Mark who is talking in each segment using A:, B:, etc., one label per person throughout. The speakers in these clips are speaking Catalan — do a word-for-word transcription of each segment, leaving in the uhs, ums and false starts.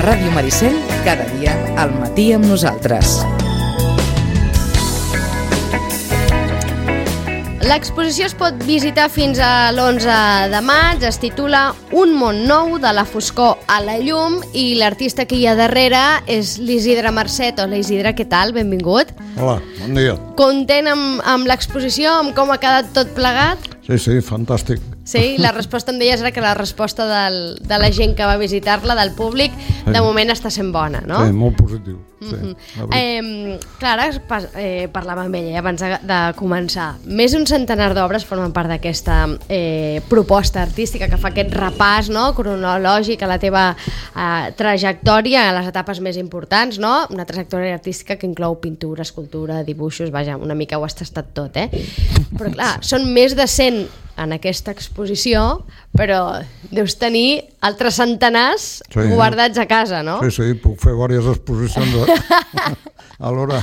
A: Ràdio Maricel, cada dia al matí amb nosaltres.
B: L'exposició es pot visitar fins a l'onze de maig, es titula Un món nou, de la foscor a la llum, i l'artista que hi ha darrere és l'Isidre Marcet. Hola Isidre, què tal? Benvingut.
C: Hola, bon dia.
B: Content amb, amb l'exposició, amb com ha quedat tot plegat?
C: Sí, sí, fantàstic.
B: Sí, la resposta em deies era que la resposta del, de la gent que va visitar-la, del públic, de moment està sent bona, no?
C: Sí, molt positiu. Sí,
B: mm-hmm. eh, Clara, eh, parlava amb ella abans de, de començar. Més d'un centenar d'obres formen part d'aquesta eh, proposta artística que fa aquest repàs, no?, cronològic a la teva eh, trajectòria, a les etapes més importants, no? Una trajectòria artística que inclou pintura, escultura, dibuixos, vaja, una mica ho has tastat tot, eh? Però clar, són més de cent en aquesta exposició, però deus tenir altres centenars sí, guardats a casa, no?
C: Sí, sí, puc fer diverses exposicions alhora.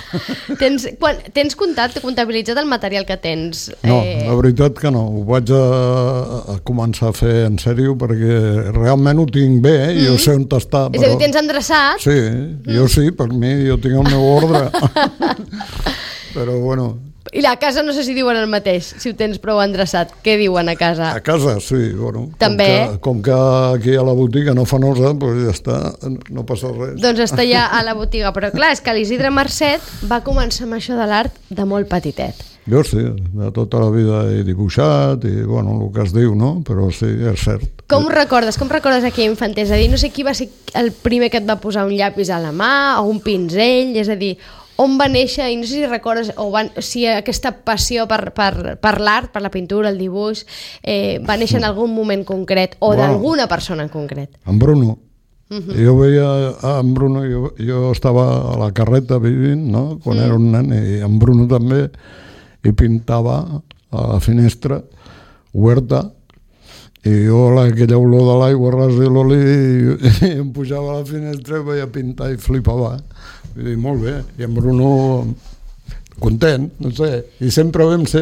B: Tens, quan, tens comptat, comptabilitzat el material que tens?
C: No, eh... la veritat que no. Ho vaig a, a començar a fer en sèrio perquè realment ho tinc bé, eh? Mm. Jo sé on està.
B: És a dir, ho tens endreçat?
C: Sí, mm. jo sí, per mi, jo tinc el meu ordre. Però bueno...
B: I a casa no sé si diuen el mateix, si ho tens prou endreçat. Què diuen a casa?
C: A casa, sí, bueno.
B: També?
C: Com que, com que aquí a la botiga no fa nosa, doncs ja està, no passa res.
B: Doncs està ja a la botiga, però clar, és que l'Isidre Marcet va començar amb això de l'art de molt petitet.
C: Jo sí, de tota la vida he dibuixat i, bueno, el que es diu, no? Però sí, és cert.
B: Com ho recordes? Com recordes aquella infantesa? És a dir, no sé qui va ser el primer que et va posar un llapis a la mà o un pinzell, és a dir... On va néixer, i no sé si recordes, o van, si aquesta passió per, per, per l'art, per la pintura, el dibuix, eh, va néixer en algun moment concret, o bueno, d'alguna persona en concret?
C: En Bruno. Uh-huh. Jo veia en Bruno, jo, jo estava a la carreta vivint, no?, quan mm. era un nen, i en Bruno també, i pintava a la finestra, oberta, i jo aquella olor de l'aigua, ras i l'oli, i, i em pujava a la finestra i veia pintar i flipava. Vull dir, molt bé, i en Bruno content, no sé, i sempre vam ser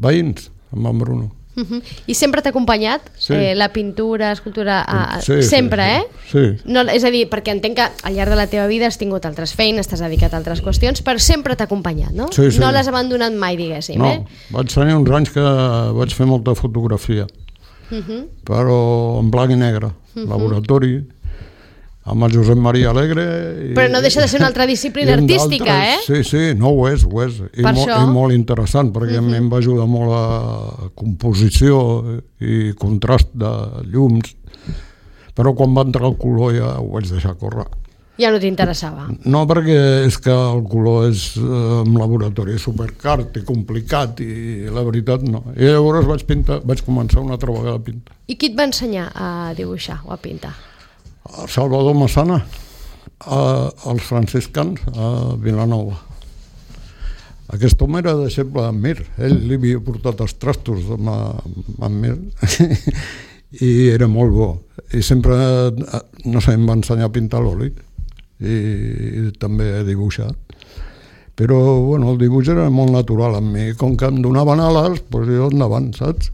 C: veïns amb en Bruno.
B: Uh-huh. I sempre t'ha acompanyat sí. eh, la pintura, escultura, a...
C: sí,
B: sempre,
C: sí,
B: eh?
C: Sí.
B: No, és a dir, perquè entenc que al llarg de la teva vida has tingut altres feines, t'has dedicat a altres qüestions, però sempre t'ha acompanyat, no?
C: Sí, sí.
B: No l'has abandonat mai, diguéssim,
C: no,
B: eh?
C: No, vaig tenir uns anys que vaig fer molta fotografia, uh-huh. però en blanc i negre, uh-huh. laboratori, amb el Josep Maria Alegre... I,
B: però no deixa de ser una altra disciplina artística, eh?
C: Sí, sí, no ho és, ho és. I, mo, i molt interessant, perquè uh-huh. a mi em va ajudar molt a composició i contrast de llums, però quan va entrar el color ja ho vaig deixar córrer.
B: Ja no t'interessava?
C: No, perquè és que el color és en laboratori és supercar i complicat i la veritat no. I llavors vaig pintar, vaig començar una altra vegada a pintar.
B: I qui et va ensenyar a dibuixar o a pintar?
C: Salvador Massana, als franciscans a Vilanova. Aquest home era deixeble d'en Mir, ell li havia portat els trastos amb en Mir i era molt bo. I sempre, no sé, em va ensenyar a pintar l'oli i, i també a dibuixar. Però, bueno, el dibuix era molt natural amb mi. Com que em donaven ales, doncs jo endavant, saps?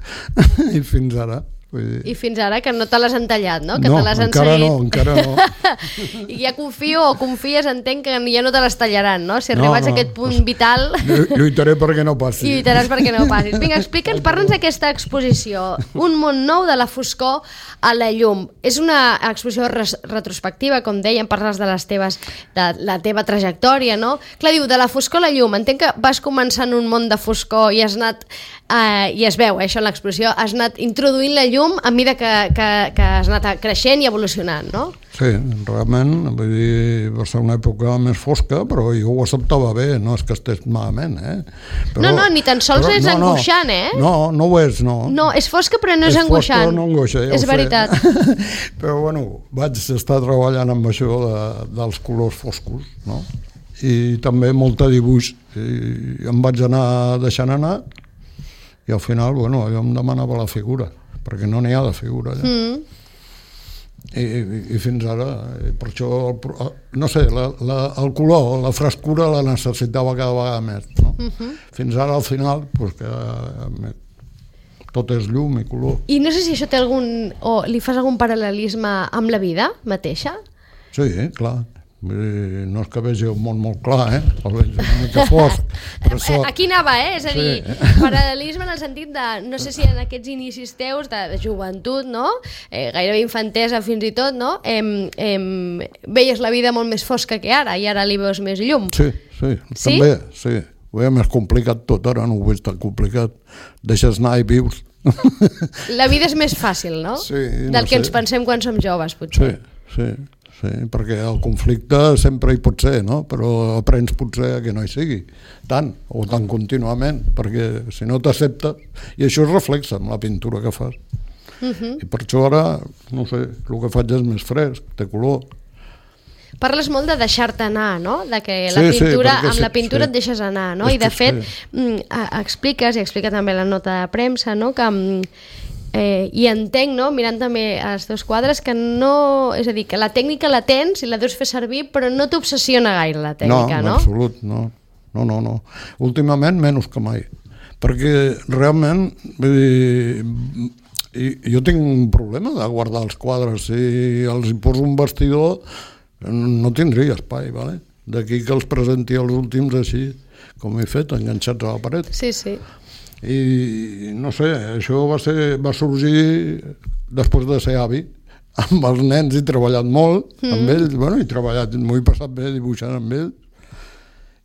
C: I fins ara.
B: I fins ara, que no te l'has entallat, no? Que
C: no,
B: te l'has
C: encara
B: enseguit.
C: no, encara no.
B: I ja confio o confies, entenc, que ja no te les tallaran, no? Si arribats no, no. a aquest punt vital...
C: Lluitaré perquè no passi.
B: Lluitaràs perquè no passis. Vinga, explica'ns, parla'ns d'aquesta exposició. Un món nou, de la foscor a la llum. És una exposició res- retrospectiva, com dèiem, parles de les teves, de la teva trajectòria, no? Clar, diu, de la foscor a la llum. Entenc que vas començar en un món de foscor i has anat, eh, i es veu, eh, això en l'exposició, has anat introduint la llum a mesura que, que, que has anat creixent i evolucionant, no?
C: Sí, realment, vull dir, va ser una època més fosca, però jo ho acceptava bé, no és que estés malament, eh? Però,
B: no, no, ni tan sols
C: però,
B: és
C: no,
B: angoixant, eh?
C: No, no ho és, no.
B: No, és fosca però no és, és angoixant.
C: Fosca, no angoixa, ja
B: és veritat.
C: Però bueno, vaig estar treballant amb això de, dels colors foscos, no? I també molta dibuix. I em vaig anar deixant anar i al final, bueno, allò em demanava la figura, perquè no n'hi ha de figura allà. Mm. I, i, i fins ara, i per això, no sé, la, la, el color, la frescura la necessitava cada vegada més, no? Uh-huh. Fins ara, al final, pues, que, tot és llum i color.
B: I no sé si això té algun... o li fas algun paral·lelisme amb la vida mateixa?
C: Sí, clar. No és que vegi un món molt clar, eh? El veig una mica fosc. Però això...
B: Aquí anava, eh? És a dir, sí. Paral·lelisme en el sentit de, no sé si en aquests inicis teus de, de joventut, no? Eh, gairebé infantesa fins i tot, no? Em, em, veies la vida molt més fosca que ara i ara li veus més llum.
C: Sí, sí, sí? També, sí. Ho veia més complicat tot, ara no ho veig tan complicat. Deixes anar i vius.
B: La vida és més fàcil, no?
C: Sí, no
B: Del que
C: sé.
B: ens pensem quan som joves, potser.
C: Sí, sí. Sí, perquè el conflicte sempre hi pot ser, no? Però aprens potser que no hi sigui tant, o tan contínuament, perquè si no t'acceptes, i això es reflexa en la pintura que fas. Uh-huh. I per això ara, no sé, el que faig és més fresc, té color.
B: Parles molt de deixar-te anar, no? De que
C: Sí,
B: la
C: sí,
B: pintura,
C: perquè
B: amb
C: sí,
B: la pintura
C: sí.
B: et deixes anar, no?
C: És
B: I de
C: que
B: fet,
C: sí.
B: mm, a- expliques, i explica també la nota de premsa, no? Que mm, Eh, i entenc, no, mirant també els teus quadres, que no... És a dir, que la tècnica la tens i la deus fer servir, però no t'obsessiona gaire la tècnica, no?
C: No, en absolut, no. No, no, no. Últimament menys que mai. Perquè realment, vull dir, i, jo tinc un problema de guardar els quadres. Si els hi poso un vestidor, no tindria espai, ¿vale? D'aquí que els presenti els últims així, com he fet, enganxats a la paret.
B: Sí, sí.
C: I no sé, això va, ser, va sorgir després de ser avi. Amb els nens he treballat molt, mm. amb ells, bueno, he treballat, m'ho he passat bé dibuixant amb ells,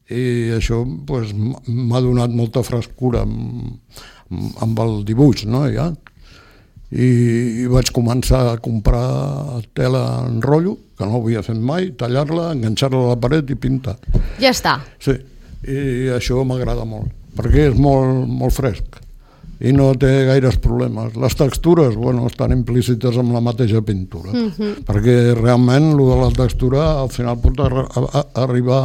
C: i això pues, m'ha donat molta frescura amb, amb el dibuix, no, ja. I, i vaig començar a comprar tela en rotllo, que no ho havia fet mai, tallar-la, enganxar-la a la paret i pintar.
B: Ja està.
C: Sí, i això m'agrada molt, perquè és molt, molt fresc i no té gaires problemes. Les textures, bueno, estan implícites amb la mateixa pintura, mm-hmm. perquè realment el de la textura al final pot ar a arribar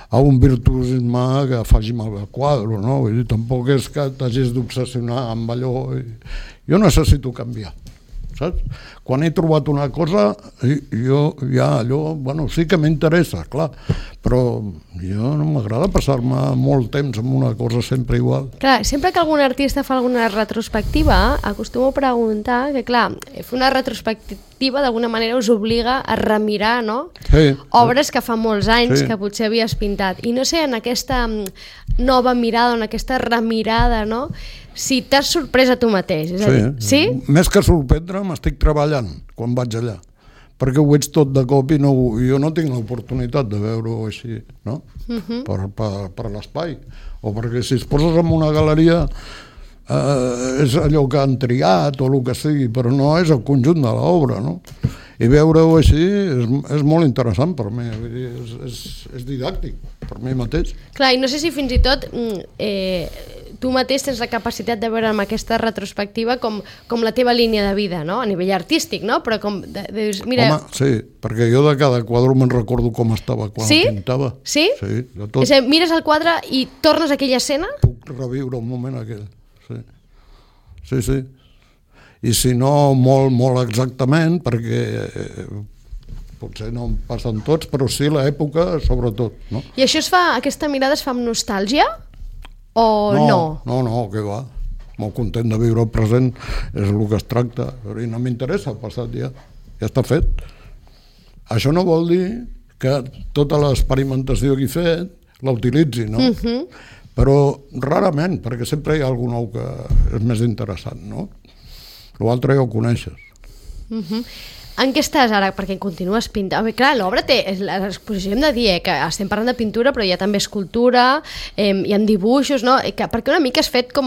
C: a un virtuosisme que faci mal el quadre, no? Vull dir, tampoc és que t'hagis d'obsessionar amb allò. Jo necessito canviar, saps? Quan he trobat una cosa, jo ja allò, bueno, sí que m'interessa, clar, però jo no m'agrada passar-me molt temps amb una cosa sempre igual.
B: Clar, sempre que algun artista fa alguna retrospectiva, acostumo a preguntar que, clar, fer una retrospectiva d'alguna manera us obliga a remirar, no?
C: Sí.
B: Obres que fa molts anys
C: Sí.
B: que potser havies pintat. I no sé, en aquesta nova mirada, en aquesta remirada, no? Si t'has sorprès a tu mateix. És a dir, sí?
C: Més que sorprendre, m'estic treballant quan vaig allà, perquè ho veig tot de cop i no, jo no tinc l'oportunitat de veure-ho així, no? Uh-huh. per, per, per l'espai, o perquè si es poses en una galeria eh, és allò que han triat o el que sigui, però no és el conjunt de l'obra, no? I veure-ho així és, és molt interessant per mi, vull dir, és, és, és didàctic per mi mateix.
B: Clar, i no sé si fins i tot eh, tu mateix tens la capacitat de veure amb aquesta retrospectiva com, com la teva línia de vida, no? A nivell artístic, no? Però com de, de, mira...
C: Home, sí, perquè jo de cada quadre me'n recordo com estava quan
B: Sí?
C: el pintava.
B: Sí?
C: Sí, de tot.
B: És a dir, mires el quadre i tornes a aquella escena?
C: Puc reviure un moment aquell, sí. Sí, sí. I si no molt, molt exactament, perquè eh, potser no em passen tots, però sí l'època sobretot, no?
B: I això es fa, aquesta mirada es fa amb nostàlgia? O no?
C: No, no, no, que va. Molt content de viure el present, és el que es tracta. I no m'interessa el passat ja, ja està fet. Això no vol dir que tota l'experimentació que he fet la utilitzi, no? Uh-huh. Però rarament, perquè sempre hi ha algú nou que és més interessant, no? L'altre ja ho coneixes.
B: Uh-huh. En què estàs ara? Perquè continues pintant. Bé, clar, l'obra té... L'exposició hem de dir eh, que estem parlant de pintura, però hi ha també escultura, eh, hi ha dibuixos, no? Eh, que, perquè una mica has fet com...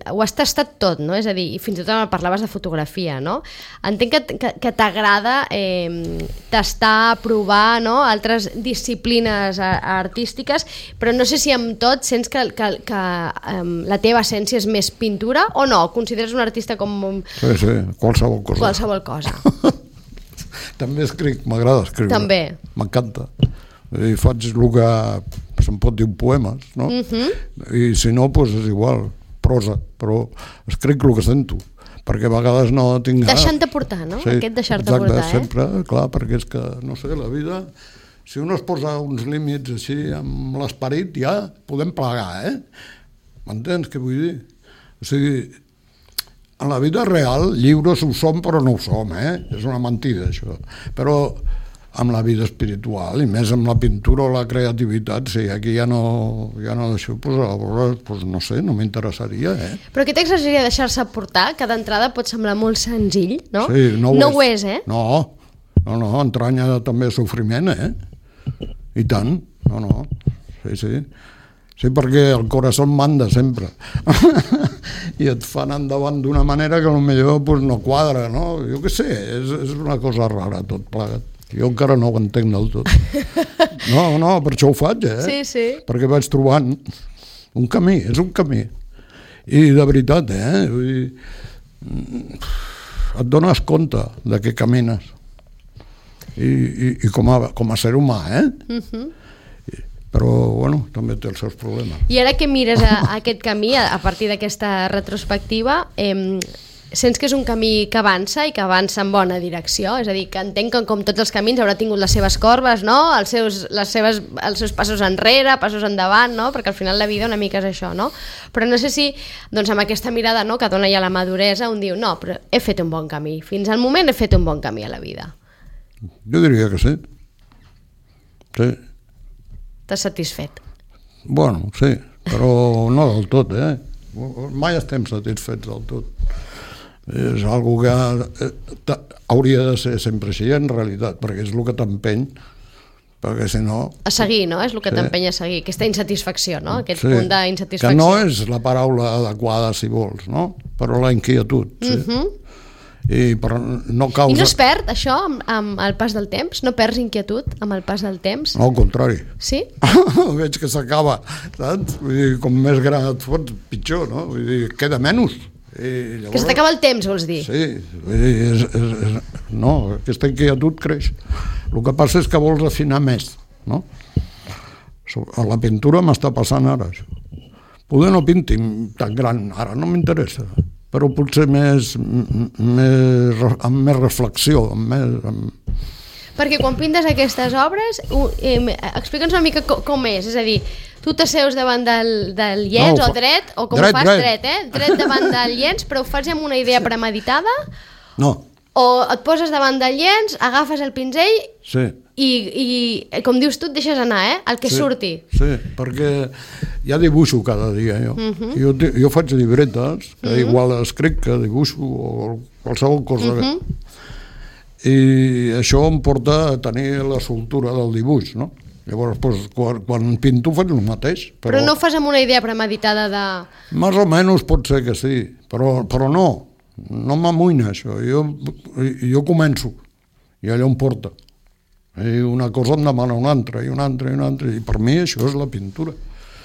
B: Ho has tastat tot, no? És a dir, i fins i tot parlaves de fotografia, no? Entenc que, que, que t'agrada eh, tastar, provar, no? Altres disciplines a, a artístiques, però no sé si amb tot sents que, que, que eh, la teva essència és més pintura o no? Consideres un artista com...
C: Sí, sí, qualsevol cosa.
B: Qualsevol cosa.
C: També escric, m'agrada escriure.
B: També.
C: M'encanta. I faig el que se'n pot dir poemes, no? Uh-huh. I si no, doncs és igual, prosa, però escric el que sento, perquè a vegades no tinc...
B: Deixant-te portar, no?
C: Sí,
B: Aquest deixar-te
C: exacte,
B: portar, eh?
C: sempre, clar, perquè és que, no sé, la vida... Si un es posa uns límits així amb l'esperit, ja podem plegar, eh? M'entens què vull dir? O sigui, en la vida real lliures ho som però no ho som, eh? És una mentida això, però amb la vida espiritual i més amb la pintura o la creativitat, sí, aquí ja no, ja no deixo, pues, pues, no sé, no m'interessaria, eh?
B: Però aquest exercici de deixar-se portar, que d'entrada pot semblar molt senzill, no?
C: Sí, no ho,
B: no
C: és.
B: ho és, eh?
C: No, no, no, entranya també sofriment, eh? I tant, no, no, sí, sí. Sí, perquè el corazó manda sempre. I et fan endavant d'una manera que potser pues, no quadra, no? Jo què sé, és, és una cosa rara tot plegat. Jo encara no ho entenc del tot. No, no, per això ho faig, eh?
B: Sí, sí.
C: Perquè vaig trobant un camí, és un camí. I de veritat, eh? Vull dir, et dones compte de què camines. I, i, i com, a, com a ser humà, eh? Uh-huh. Però, bueno, també té els seus problemes.
B: I ara que mires a, a aquest camí, a, a partir d'aquesta retrospectiva, eh, sents que és un camí que avança i que avança en bona direcció? És a dir, que entenc que com tots els camins haurà tingut les seves corbes, no? Els seus, les seves, els seus passos enrere, passos endavant, no? Perquè al final la vida una mica és això, no? Però no sé si, doncs amb aquesta mirada, no?, que dona ja la maduresa, un diu, no, però he fet un bon camí. Fins al moment he fet un bon camí a la vida.
C: Jo diria que sí. Sí.
B: T'has satisfet?
C: Bueno, sí, però no del tot, eh? Mai estem satisfets del tot. És algo que hauria de ser sempre així, en realitat, perquè és el que t'empeny, perquè si no...
B: A seguir, no? És el que
C: sí.
B: t'empeny a seguir, aquesta insatisfacció, no? Aquest
C: sí.
B: punt d'insatisfacció.
C: Que no és la paraula adequada, si vols, no? Però la inquietud, sí. Uh-huh. I, però no causa...
B: I no es perd això amb, amb el pas del temps? No perds inquietud amb el pas del temps?
C: No, al contrari.
B: Sí?
C: Veig que s'acaba, saps? Vull dir, com més gran et fots, pitjor, no? Vull dir, queda menys. I llavors...
B: Que se t'acaba el temps, vols dir?
C: Sí, vull dir, és, és, és... no, aquesta inquietud creix. El que passa és que vols afinar més, no? A la pintura m'està passant ara, això. Poder no pinti tan gran, ara no m'interessa, però potser més, més, amb més reflexió, amb més... Amb...
B: Perquè quan pintes aquestes obres, eh, explica'ns una mica com, com és, és a dir, tu t'asseus davant del, del llenç, no, o dret, o com
C: dret,
B: ho fas,
C: dret.
B: dret, eh? Dret davant del llenç, però ho fas amb una idea premeditada?
C: No.
B: O et poses davant del llenç, agafes el pinzell
C: sí.
B: i, i, com dius tu, et deixes anar, eh? El que
C: sí,
B: surti.
C: Sí, perquè ja dibuixo cada dia, jo. Uh-huh. Jo, jo faig llibretes, que uh-huh. igual escric que dibuixo, o qualsevol cosa. Uh-huh. I això em porta a tenir la soltura del dibuix, no? Llavors, doncs, quan, quan pinto faig el mateix.
B: Però, però no ho fas amb una idea premeditada de...
C: Més o menys pot ser que sí, però, però no. No m'amoïna això, jo, jo començo i allò em porta i una cosa em demana una altra i una altra i una altra i per mi això és la pintura.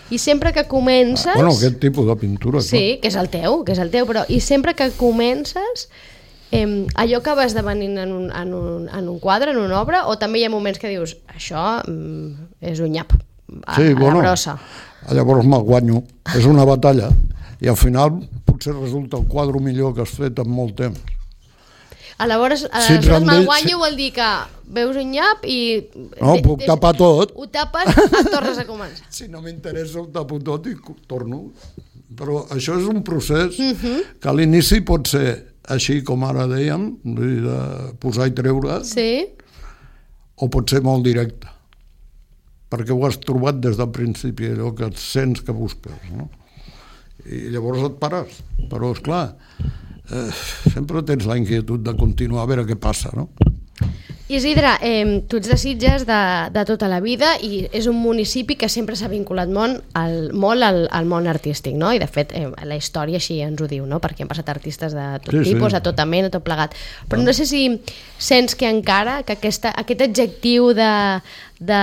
B: I sempre que comences...
C: Ah, bueno, aquest tipus de pintura.
B: Sí,
C: clar.
B: que és el teu, que és el teu, però i sempre que comences eh, allò acaba esdevenint en un, en, un, en un quadre, en una obra, o també hi ha moments que dius això mm, és un nyap a,
C: sí,
B: a
C: bueno,
B: la brossa.
C: Llavors me'l guanyo, és una batalla i al final potser resulta el quadre millor que has fet en molt temps.
B: Aleshores,
C: si
B: aleshores me'l guanyo
C: si...
B: vol dir que veus un nyap i...
C: No, de, puc de, tapar tot.
B: Ho tapes, et tornes a començar.
C: Si no m'interessa ho tapo tot i torno. Però això és un procés uh-huh. que a l'inici pot ser així com ara dèiem, de posar i treure,
B: sí.
C: o pot ser molt directe, perquè ho has trobat des del principi, allò que et sents que busques, no? I llavors et pares, però esclar, eh, sempre tens la inquietud de continuar a veure què passa, no?
B: Isidre, eh, tu ets de Sitges de, de tota la vida i és un municipi que sempre s'ha vinculat molt, al, molt al, al món artístic, no? I de fet eh, la història així ens ho diu, no? Perquè han passat artistes de tot sí, tipus, sí. a tota mena, tot plegat. Però no. no sé si sents que encara que aquesta, aquest adjectiu de, de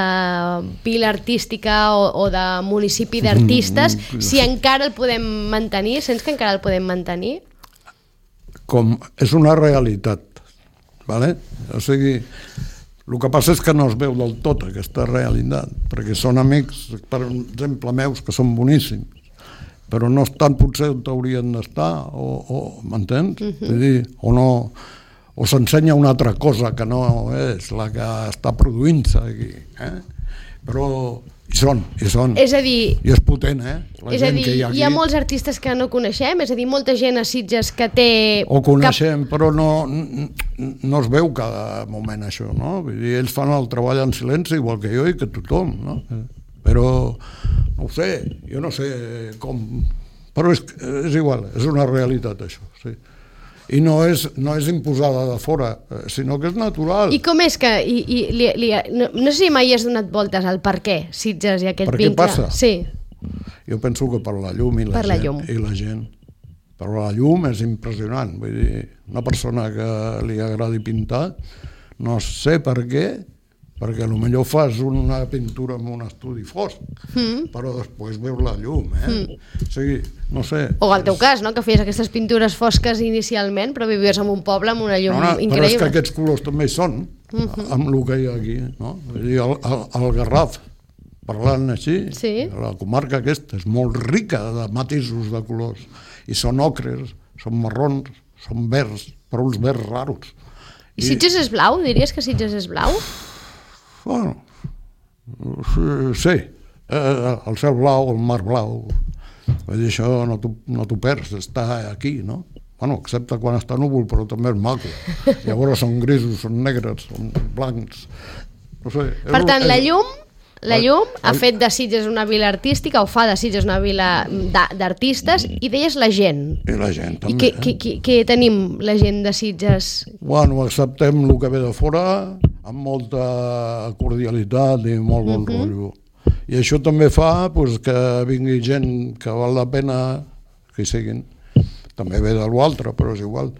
B: vila artística o, o de municipi d'artistes, mm, si encara el podem mantenir, sents que encara el podem mantenir?
C: Com és una realitat. Vale? O sigui, el que passa és que no es veu del tot aquesta realitat, perquè són amics, per exemple, meus, que són boníssims, però no estan potser on haurien d'estar, o, o m'entens? Uh-huh. Vull dir, o no, o s'ensenya una altra cosa que no és la que està produint-se aquí. Eh? Però I són, i són.
B: És a dir...
C: I és potent, eh? La
B: és a
C: gent
B: dir,
C: que hi
B: hi
C: ha
B: ha,
C: aquí.
B: hi ha molts artistes que no coneixem, és a dir, molta gent a Sitges que té...
C: O coneixem, cap... però no, no es veu cada moment això, no? Vull dir, ells fan el treball en silenci, igual que jo i que tothom, no? Però, no ho sé, jo no sé com... Però és, és igual, és una realitat, això, sí. I no és, no és imposada de fora, sinó que és natural.
B: I com és que... I, i, li, li, no, no sé si mai has donat voltes al per què Sitges i aquest
C: per
B: vincle.
C: Per què passa?
B: Sí.
C: Jo penso que per la llum i la,
B: per
C: gent,
B: la llum.
C: i la gent. Però la llum és impressionant. Vull dir, una persona que li agradi pintar, no sé per què, perquè potser fas una pintura en un estudi fosc, mm. però després veus la llum, eh? Mm. O sigui, no sé...
B: O al teu és... cas, no?, que feies aquestes pintures fosques inicialment, però vivies en un poble amb una llum no, no, increïble.
C: Però és que aquests colors també hi són, mm-hmm. amb el que hi ha aquí, no? Vull dir, el, el, el Garraf, parlant així, sí. La comarca aquesta és molt rica de matisos de colors, i són ocres, són marrons, són verds, però uns verds raros.
B: I, I Sitges és blau? Diries que Sitges és blau?
C: Bueno, sí, eh, el cel blau, el mar blau, vull dir, això no t'ho no t'ho perds, està aquí, no? Bueno, excepte quan està núvol, però també és maco. Llavors són grisos, són negres, són blancs, no sé.
B: Per tant,
C: és,
B: la llum... La llum ha fet de Sitges una vila artística, o fa de Sitges una vila d'artistes, i deies la gent.
C: I la gent, també.
B: I què, què, què, què tenim, la gent de Sitges?
C: Bueno, acceptem el que ve de fora, amb molta cordialitat i molt bon uh-huh. rotllo. I això també fa pues, que vingui gent que val la pena que hi siguin. També ve de l'altre, però és igual.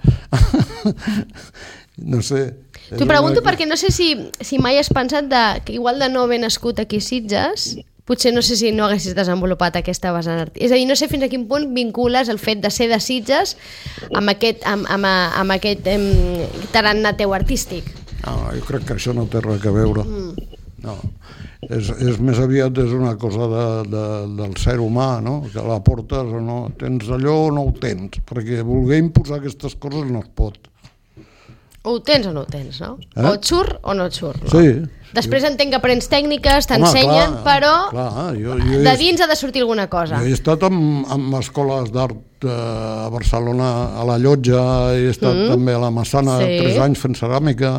C: No sé.
B: T'ho pregunto perquè no sé si, si mai has pensat de, que igual de no haver nascut aquí a Sitges, potser no sé si no haguessis desenvolupat aquesta vessant artística. És a dir, no sé fins a quin punt vincules el fet de ser de Sitges amb aquest, amb, amb, amb aquest em, tarannà teu artístic.
C: No, jo crec que això no té res a veure. Mm. No. És, és més aviat és una cosa de, de, del ser humà, no? Que la portes o no. Tens allò o no ho tens, perquè voler imposar aquestes coses no es pot.
B: O ho tens o no ho tens, no? Eh? O et surt o no et surt, no?
C: Sí.
B: Després entenc que aprens tècniques, t'ensenyen, però
C: clar, jo, jo
B: de dins ha de sortir alguna cosa.
C: Jo he estat en, en escoles d'art eh, a Barcelona, a la Llotja, he estat mm. també a la Massana sí. tres anys fent ceràmica.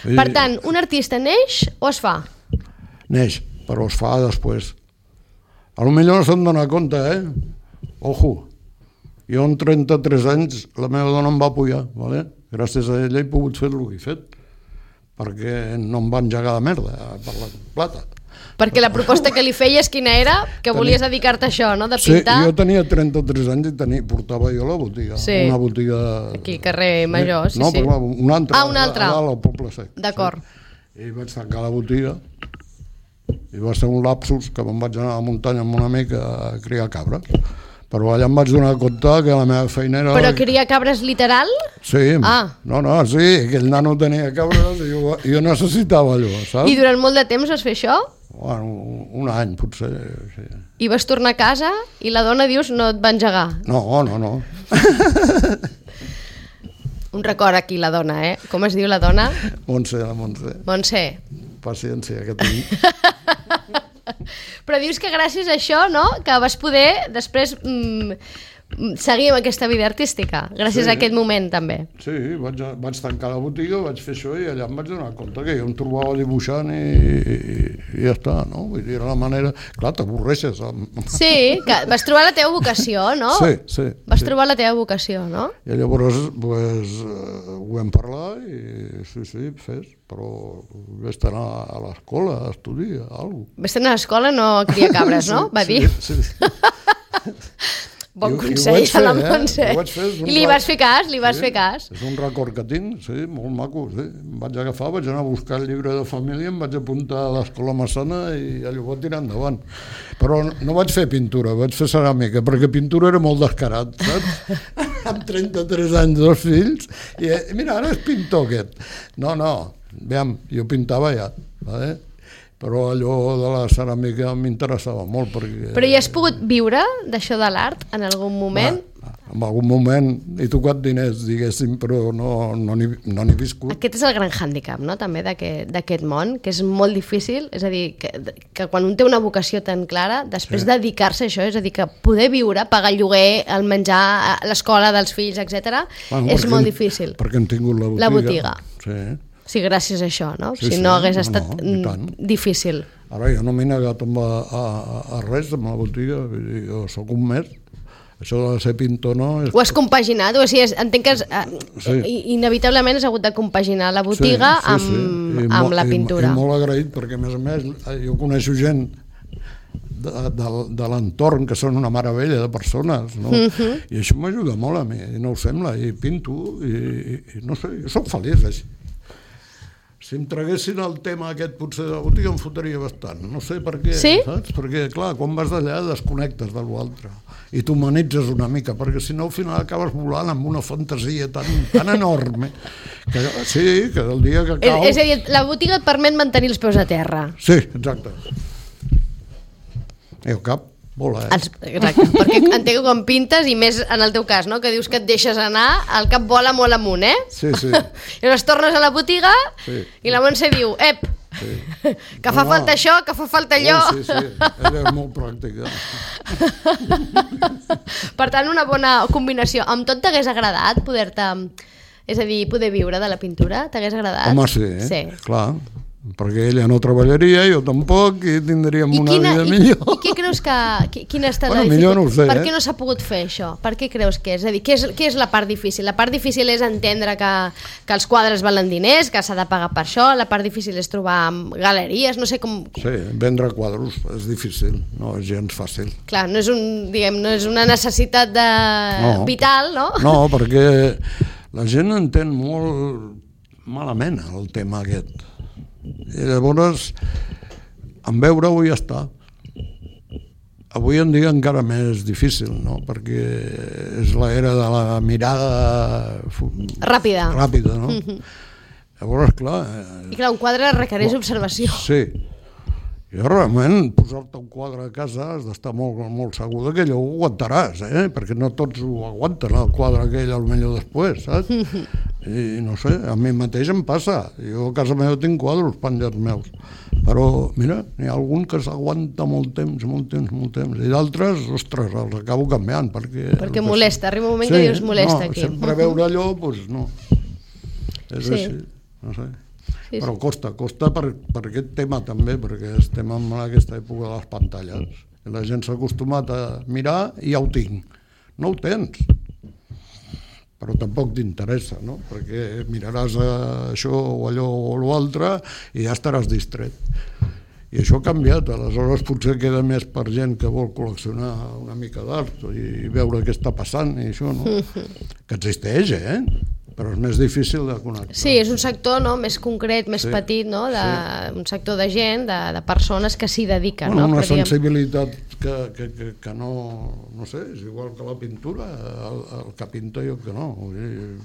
B: Per tant, un artista neix o es fa?
C: Neix, però es fa després. A lo millor no se'n dona compte, eh? Ojo, jo amb trenta-tres anys la meva dona em va apoyar, ¿vale? Gràcies a ella he pogut fer el que he fet, perquè no em va engegar de merda per la plata.
B: Perquè la proposta que li feies quina era? Que tenia... volies dedicar-te a això, no? De pintar?
C: Sí, jo tenia trenta-tres anys i tenia, portava jo la botiga.
B: Sí.
C: Una botiga...
B: Aquí, carrer Major, sí,
C: no,
B: sí.
C: No, però una altra.
B: Ah, una altra.
C: A dalt, al Poble Sec.
B: D'acord.
C: Sí. I vaig tancar la botiga i va ser un lapsus que me'n vaig anar a la muntanya amb un amic a criar cabres. Però allà em vaig donar compte que la meva feina era...
B: Però criar cabres literal?
C: Sí,
B: ah.
C: no, no, sí, aquell nano tenia cabres i jo, jo necessitava allò, saps?
B: I durant molt de temps vas fer això?
C: Bueno, un any potser, sí.
B: I vas tornar a casa i la dona, dius, no et va engegar?
C: No, no, no.
B: Un record aquí, la dona, eh? Com es diu la dona?
C: Montse, la Montse.
B: Montse.
C: Paciència, que tinc.
B: Però dius que gràcies a això, no?, que vas poder després mm, seguir amb aquesta vida artística, gràcies sí. a aquest moment també.
C: Sí, vaig, vaig tancar la botiga, vaig fer això i allà em vaig donar compte que jo em trobava dibuixant i, i, i ja està, no? Vull dir, era la manera... Clar, t'avorreixes. Amb...
B: Sí, que vas trobar la teva vocació, no?
C: Sí, sí.
B: Vas
C: sí.
B: trobar la teva vocació, no?
C: I llavors pues, ho vam parlar i sí, sí, fes, però vaig anar a l'escola a estudiar alguna cosa.
B: Vaig anar a l'escola, no a criar cabres, no? Va dir.
C: Sí, sí.
B: Bon consell a la Montse.
C: Eh?
B: I li vas fer cas, li vas
C: sí,
B: fer cas.
C: És un record que tinc, sí, molt maco. Sí. Em vaig agafar, vaig anar a buscar el llibre de família, em vaig apuntar a l'escola Massana i allò va tirar endavant. Però no vaig fer pintura, vaig fer ceràmica, perquè pintura era molt descarat, saps? Amb trenta-tres anys, dos fills, i mira, ara és pintor aquest. No, no, veiem, jo pintava ja, vale? Però allò de la ceràmica m'interessava molt perquè...
B: Però hi has pogut viure d'això de l'art en algun moment?
C: Va, en algun moment he tocat diners, diguéssim, però no no n'he no n'he viscut.
B: Aquest és el gran hàndicap, no?, també d'aquest món, que és molt difícil, és a dir, que, que quan un té una vocació tan clara, després sí. dedicar-se a això, és a dir, que poder viure, pagar el lloguer, el menjar, l'escola dels fills, etcètera, bueno, és molt difícil.
C: Perquè hem tingut la botiga.
B: La botiga.
C: Sí.
B: Sí, gràcies a això, no?
C: Sí,
B: si
C: sí,
B: no hagués
C: no,
B: estat
C: no,
B: difícil.
C: Ara jo no m'he negat a, a, a res amb la botiga, vull dir, jo soc un mes, això de ser pintor no... És...
B: Ho has compaginat, o sigui, entenc que has, sí. inevitablement has hagut de compaginar la botiga sí, sí, amb, sí. amb molt, la pintura.
C: I, i molt agraït, perquè a més a més jo coneixo gent de, de, de l'entorn que són una meravella de persones, no? Uh-huh. I això m'ajuda molt a mi, no ho sembla, i pinto, i, i, i no sé, jo soc feliç així. Si em traguessin el tema aquest potser de la botiga em fotria bastant, no sé per què,
B: sí?
C: saps? Perquè, clar, quan vas d'allà desconnectes de l'altre i t'humanitzes una mica, perquè si no al final acabes volant amb una fantasia tan, tan enorme que sí, que el dia que cau...
B: És a dir, la botiga et permet mantenir els peus a terra.
C: Sí, exacte. I el cap vola, eh?
B: Els, exacte, perquè entenc que quan pintes, i més en el teu cas, no?, que dius que et deixes anar, el cap vola molt amunt, eh?
C: Sí, sí.
B: I llavors tornes a la botiga sí. i la Montse diu, ep, sí. que fa no, falta no. això, que fa falta allò.
C: Oh, sí, sí, ella és molt pràctica.
B: Per tant, una bona combinació. Amb tot t'hagués agradat poder-te... És a dir, poder viure de la pintura? T'hagués agradat?
C: Home, sí, eh?
B: Sí.
C: Clar. Perquè ella no treballaria, jo tampoc, i tindríem I una quina, vida
B: i,
C: millor.
B: I què creus que... Quina ha estat
C: bueno,
B: la
C: millor no ho sé,
B: Per
C: eh?
B: què no s'ha pogut fer això? Per què creus que és? És a dir, què és, què és la part difícil? La part difícil és entendre que, que els quadres valen diners, que s'ha de pagar per això, la part difícil és trobar galeries, no sé com...
C: Sí, vendre quadros és difícil, no és gens fàcil.
B: Clar, no és, un, diguem, no és una necessitat de... no. vital, no?
C: No, perquè la gent entén molt malament el tema aquest. I llavors en veure-ho ja està. Avui en dia encara més difícil, no? Perquè és l'era de la mirada
B: ràpida,
C: ràpida no? Mm-hmm. Llavors, clar...
B: I clar, un quadre requereix
C: clar,
B: observació.
C: Sí. I realment, posar-te un quadre a casa has d'estar molt, molt segur que allò ho aguantaràs, eh? Perquè no tots ho aguanten, el quadre aquell, potser després, saps? I no sé, a mi mateix em passa. Jo a casa meva tinc quadres penjats meus. Però, mira, n'hi ha algun que s'aguanta molt temps, molt temps, molt temps. I d'altres, ostres, els acabo canviant. Perquè,
B: perquè molesta, arriba un moment sí, que dius molesta
C: no,
B: aquí.
C: Sempre veure allò, doncs no. És
B: sí.
C: així, no sé.
B: Sí,
C: però
B: sí.
C: costa, costa per, per aquest tema també, perquè estem en aquesta època de les pantalles. I la gent s'ha acostumat a mirar i ja ho tinc. No ho tens, però tampoc t'interessa, no? Perquè miraràs això o allò o l'altre i ja estaràs distret. I això ha canviat, aleshores potser queda més per gent que vol col·leccionar una mica d'art i veure què està passant i això, no? Que existeix, eh? Però és més difícil de connectar.
B: Sí, és un sector no, més concret, més sí, petit, no? De, sí. Un sector de gent, de, de persones que s'hi dediquen.
C: Bueno,
B: no?
C: Una
B: Però,
C: sensibilitat que, que, que, que no, no sé, és igual que la pintura, el, el que pinta jo que no.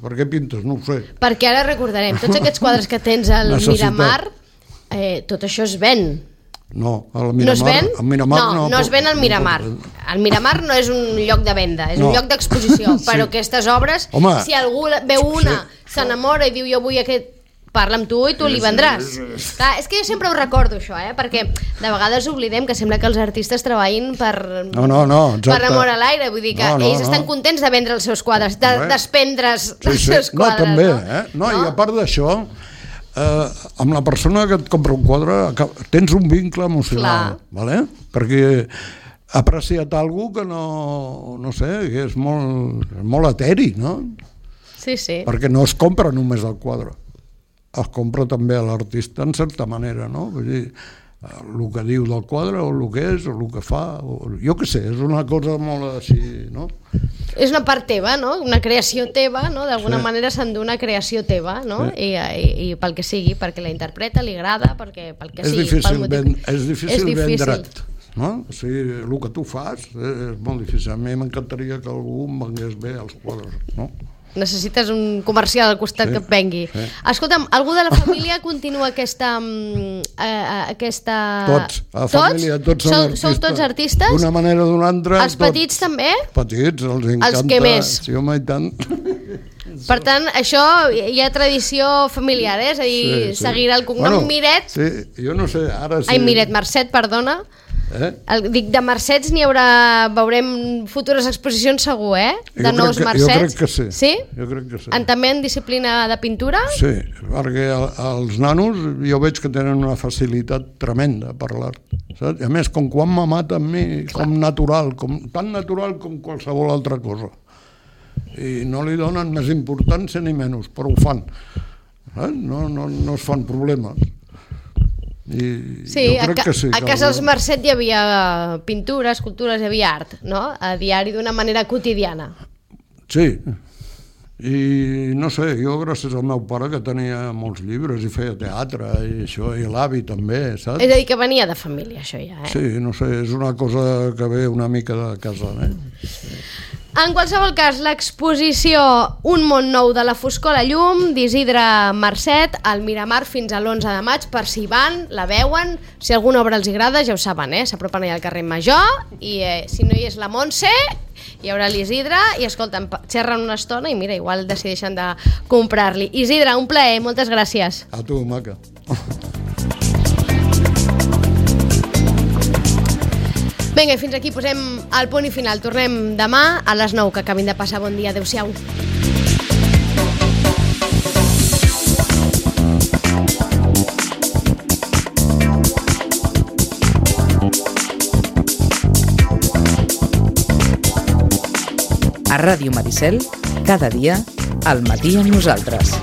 C: Per què pintes? No ho sé.
B: Perquè ara recordarem, tots aquests quadres que tens al Miramar, eh, tot això es ven.
C: No, al Miramar,
B: no es ven?
C: Al Miramar
B: no, no, no es ven al Miramar. El Miramar no és un lloc de venda, és no. un lloc d'exposició, però sí. aquestes obres, Home, si algú veu una, sí. s'enamora i diu jo vull aquest, parla amb tu i tu li vendràs. Clar, és que jo sempre ho recordo això, eh? Perquè de vegades oblidem que sembla que els artistes treballin per,
C: no, no, no,
B: per amor a l'aire, vull dir que
C: no, no,
B: ells estan
C: no.
B: contents de vendre els seus quadres, de
C: Res.
B: desprendre's
C: sí,
B: dels
C: sí.
B: seus quadres.
C: No, també,
B: no?
C: eh? No, no? I a part d'això, Uh, amb la persona que et compra un quadre tens un vincle emocional, vale? Perquè ha apreciat alguna que no, no sé, que és molt, molt eteri, no?
B: Sí, sí.
C: Perquè no es compra només el quadre, es compra també a l'artista en certa manera, no? Vull dir, el que diu del quadre o el que és o el que fa, o, jo què sé, és una cosa molt així, no?
B: És una part teva, no? Una creació teva, no? D'alguna sí. manera s'endú una creació teva, no? Sí. I, i, I pel que sigui, perquè la interpreta, li agrada, perquè pel que
C: és
B: sigui.
C: Difícil
B: pel motiu...
C: ben, és difícil,
B: és difícil
C: vendre't, no? O sigui, el que tu fas és molt difícil. A mi m'encantaria que algú em vengués bé als quadres, no?
B: necessites un comercial al costat
C: Sí,
B: que et vengui.
C: sí.
B: Escolta'm, algú de la família continua aquesta... mm, eh, aquesta...
C: Tots, a la família, tots són
B: sou,
C: artistes.
B: Sou tots artistes?
C: D'una manera o d'una altra.
B: Els petits també?
C: Petits, els encanta.
B: Els que més?
C: Sí, home, i tant.
B: Per tant, això hi ha tradició familiar, eh? És a dir,
C: Sí, sí.
B: seguir el cognom
C: Bueno,
B: Miret...
C: Sí, jo no sé, ara sí...
B: Ai, Miret, Mercet, perdona.
C: Eh?
B: El, dic, de Mercets n'hi haurà... Veurem futures exposicions segur, eh? De
C: Jo
B: nous
C: crec que,
B: Mercets.
C: Jo crec que sí.
B: Sí?
C: Jo crec que sí.
B: En, també en disciplina de pintura?
C: Sí, perquè el, els nanos jo veig que tenen una facilitat tremenda per l'art. Saps? I a més, com quan me mata amb mi, Clar. com natural, com, tan natural com qualsevol altra cosa. I no li donen més importància ni menys, però ho fan. Saps? No, no, no es fan problemes. I
B: Sí,
C: jo crec
B: a, ca
C: que sí.
B: a casa dels Mercet hi havia pintura, escultures, hi havia art, no? A diari d'una manera quotidiana.
C: Sí, i no sé, jo gràcies al meu pare que tenia molts llibres i feia teatre i això, i l'avi també, saps?
B: És a dir, que venia de família, això ja, eh?
C: Sí, no sé, és una cosa que ve una mica de casa, eh?
B: En qualsevol cas, l'exposició Un món nou de la foscor a la llum d'Isidre Mercet al Miramar fins a l'onze de maig, per si van, la veuen, si alguna obra els agrada, ja ho saben, eh? S'apropen allà al carrer Major i eh, si no hi és la Montse, hi haurà l'Isidre i escolta'm, xerren una estona i mira, igual decideixen de comprar-li. Isidre, un plaer, moltes gràcies.
C: A tu, maca.
B: Vinga, fins aquí posem el punt i final. Tornem demà a les nou, que acabin de passar bon dia. Adéu-siau.
A: A Ràdio Maricel, cada dia, al matí amb nosaltres.